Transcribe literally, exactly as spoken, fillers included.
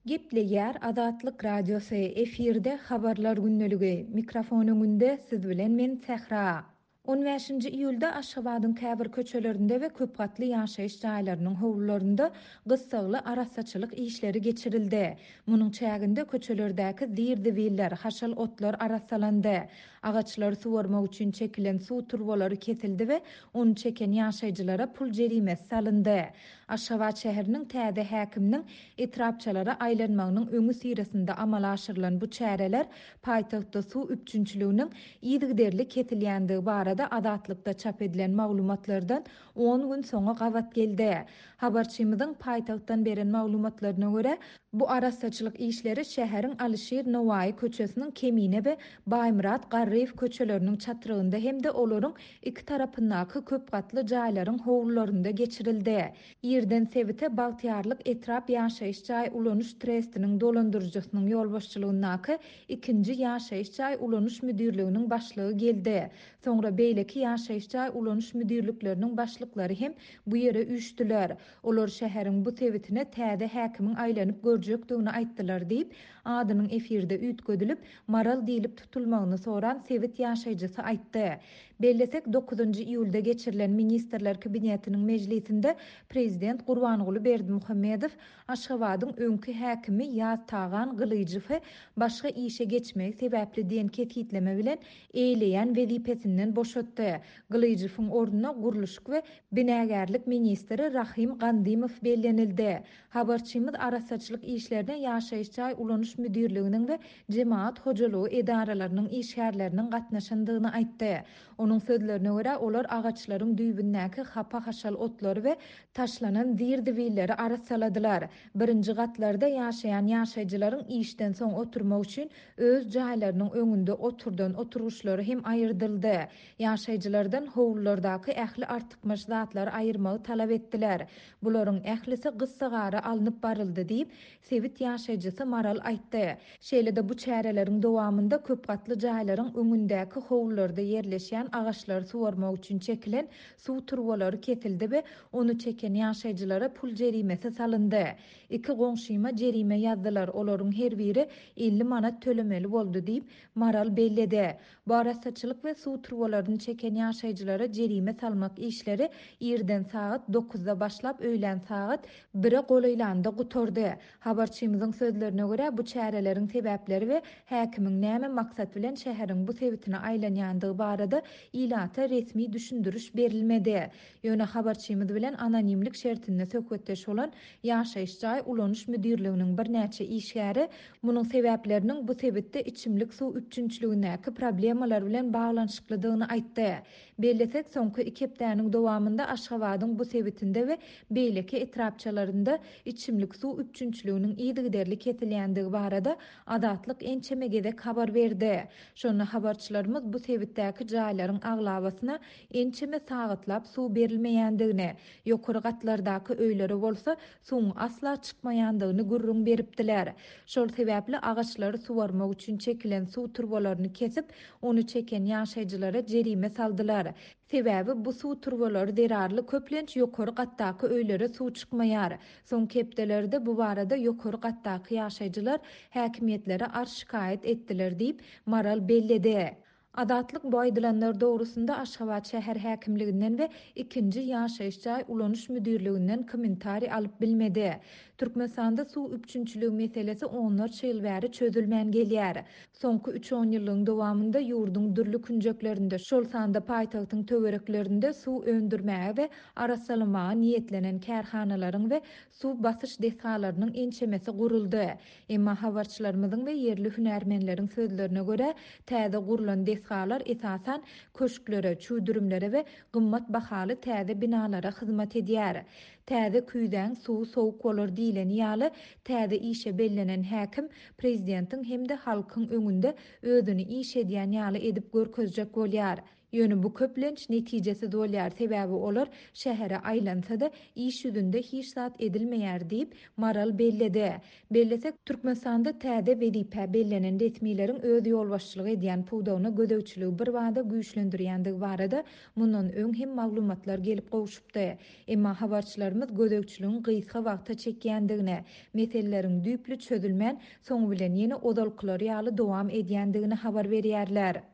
Gepleýär Azatlyk Radiosy, efirde Habarlar gündeligi, mikrofon öňünde siz bilen men Sähra. On bäşinji iýulda Aşgabadyň käbir köçelerinde we köpgatly ýaşaýyş jaýlarynyň howlularynda gyssagly arassaçylyk işleri geçirildi. Munuň çäginde köçelerdäki zir-zibiller, haşal otlar arassalandy. Agaçlary suwarmak üçin çekilen suw turbalary kesildi we ony çeken ýaşaýjylara pul jerimesi salyndy. Aşgabat şäheriniň täze häkiminiň etrapçalara aýlanmagynyň öňüsyrasynda amala aşyrylan bu çäreler paýtagtda suw üpjünçiliginiň yzygiderli kesilýändigi barada Azatlykda çap edilen maglumatlardan on gün soňa gabat geldi. Habarçymyzyň paýtagtdan beren maglumatlaryna görä, bu arassaçylyk işleri şäheriň Alyşir Nowaýy köçesiniň Kemine we Baýmyrat Garryýew köçeleriniň çatrygynda hem-de olaryň iki tarapyndaky köpgatly jaýlaryň howlularynda geçirildi. Irden sebite Bagtyýarlyk etrap ýaşaýyş jaý ulanyş trestiniň dolandyryjysynyň ýolbaşçylygyndaky ikinji ýaşaýyş jaý ulanyş müdirliginiň başlygy geldi. Soňra beýleki ýaşaýyş jaý ulanyş müdirlikleriniň başlyklary hem bu ýere üýşdüler. Olar şäheriň bu sebitine täze häkimiň aýlanyp görjekdigini aýtdylar diýip, adynyň efirde üýtgedilip, Maral diýlip tutulmagyny soran sebit ýaşaýjysy aýtdy. Bellesek, dokuzynjy iýulda geçirilen Ministrler Kabinetiniň mejlisinde Prezident Gurbanguly Berdimuhamedow Aşgabadyň öňki häkimi Ýaz Tagan Gylyjowy başga işe geçmegi sebäpli diýen kesgitleme bilen eýleýän wezipesinden boşatdy. Gylyjowyň ornuna gurluşyk we binagärlik ministri Rahim Gandymow bellenildi. Habarçymyz arassaçylyk işlerine ýaşaýyş jaý ulanyş müdirliginiň we jemaat hojalygy edaralarynyň işgärleriniň gatnaşandygyny aýtdy. Onuň sözlerine görä, olar agaçlaryň düýbündäki hapa-haşal otlary we taşlanan zir-zibilleri arassaladylar. Birinji gatlarda ýaşaýan ýaşaýjylaryň işden soň oturmak üçin öz jaýlarynyň öňünde oturdan oturgyçlary hem aýyrdyldy. Ýaşaýjylardan howlulardaky ähli artykmaç zatlary aýyrmagy talap etdiler. Bularyň ählisi gyssagara alnyp baryldy diýip, sebit ýaşaýjysy Maral aýtdy. Şeýle-de bu çäreleriň dowamynda köpgatly jaýlaryň öňündäki howlularda ýerleşýän agaçlary suwarmak üçin çekilen suw turbalary kesildi we ony çeken ýaşaýjylara pul jerimesi salyndy. Iki goňşyma jerime ýazdylar, olaryň her biri elli manat tölemeli boldy diýip, Maral belledi. Bu arassaçylyk we suw turbalaryny çeken ýaşaýjylara jerime salmak işleri irden sagat dokuzda başlap öýlän sagat bire golaýlanda gutardy. Habarçymyzyň sözlerine görä, bu çäreleriň sebäpleri we häkimiň näme maksat bilen şäheriň bu sebitine aýlanýandygy barada ilata resmi düşündiriş berilmedi. Ýöne habarçymyz bilen anonimlik şertinde söhbetdeş bolan ýaşaýyş jaý ulanyş müdirliginiň birnäçe işgäri munuň sebäpleriniň bu sebitde içimlik suw üpjünçiligindäki problemalar bilen baglanyşyklydygyny aýtdy. Bellesek, soňky iki hepdäniň dowamynda Aşgabadyň bu sebitinde we beýleki etrapçalarynda içimlik suw üpjünçiliginiň yzygiderli kesilýändigi barada Azatlyk ençeme gezek habar berdi. Şonda habarçylarymyz bu sebitdäki jaýlaryň aglabasyna ençeme sagatlap suw berilmeýändigini, ýokary gatlardaky öýlere bolsa suwuň asla çykmaýandygyny gürrüň beripdiler. Şol sebäpli agaçlary suwarmak üçin çekilen suw turbalaryny kesip, ony çeken ýaşaýjylara jerime saldylar. Sebäbi bu suw turbalary zerarly köplenç ýokary gatdaky öýlere suw çykmaýar. Soňky hepdelerde bu barada ýokary gatdaky ýaşaýjylar häkimiýetlere arz şikaýat etdiler diýip, Maral belledi. Azatlyk bu aýdylanlar dogrusynda Aşgabat şäher häkimliginden we ikinji ýaşaýyş jaý ulanyş müdirliginden kommentariý alyp bilmedi. Türkmenistanda suw üpjünçiligi meselesi onlarça ýyl bäri çözülmän gelýär. Soňky üç on ýyllygyň dowamynda ýurduň dürli künjeklerinde, şol sanda paýtagtyň töwereklerinde suw öndürmäge we arassalamaga niýetlenen kärhanalaryň we suw basyş desgalarynyň ençemesi guruldy. Emma habarçylarymyzyň we ýerli hünärmenleriň sözlerine görä, täze gurulan desgalar esasan köşklere, çüwdürimlere we gymmat bahaly täze binalara hyzmat edýär. Täze küýzäň suwy sowuk bolar diýleni ýaly, täze işe bellenen häkim prezidentiň hem-de halkyň öňünde özüni iş edýän ýaly edip görkezjek bolýar. Ýöne bu köplenç netijesiz bolýar, sebäbi olar şähere aýlansa-da, iş ýüzünde hiç zat edilmeýär diýip, Maral belledi. Bellesek, Türkmenistanda täze wezipä bellenen resmileriň öz ýolbaşçylyk edýän pudagyna gözegçiligi birbada güýçlendirýändigi barada mundan öň hem maglumatlar gelip gowşupdy. Emma habarçylarymyz gözegçiligiň gysga wagta çekýändigini, meseleleriň düýpli çözülmän, soňy bilen ýene ozalkylary ýaly dowam edýändigini habar berýärler.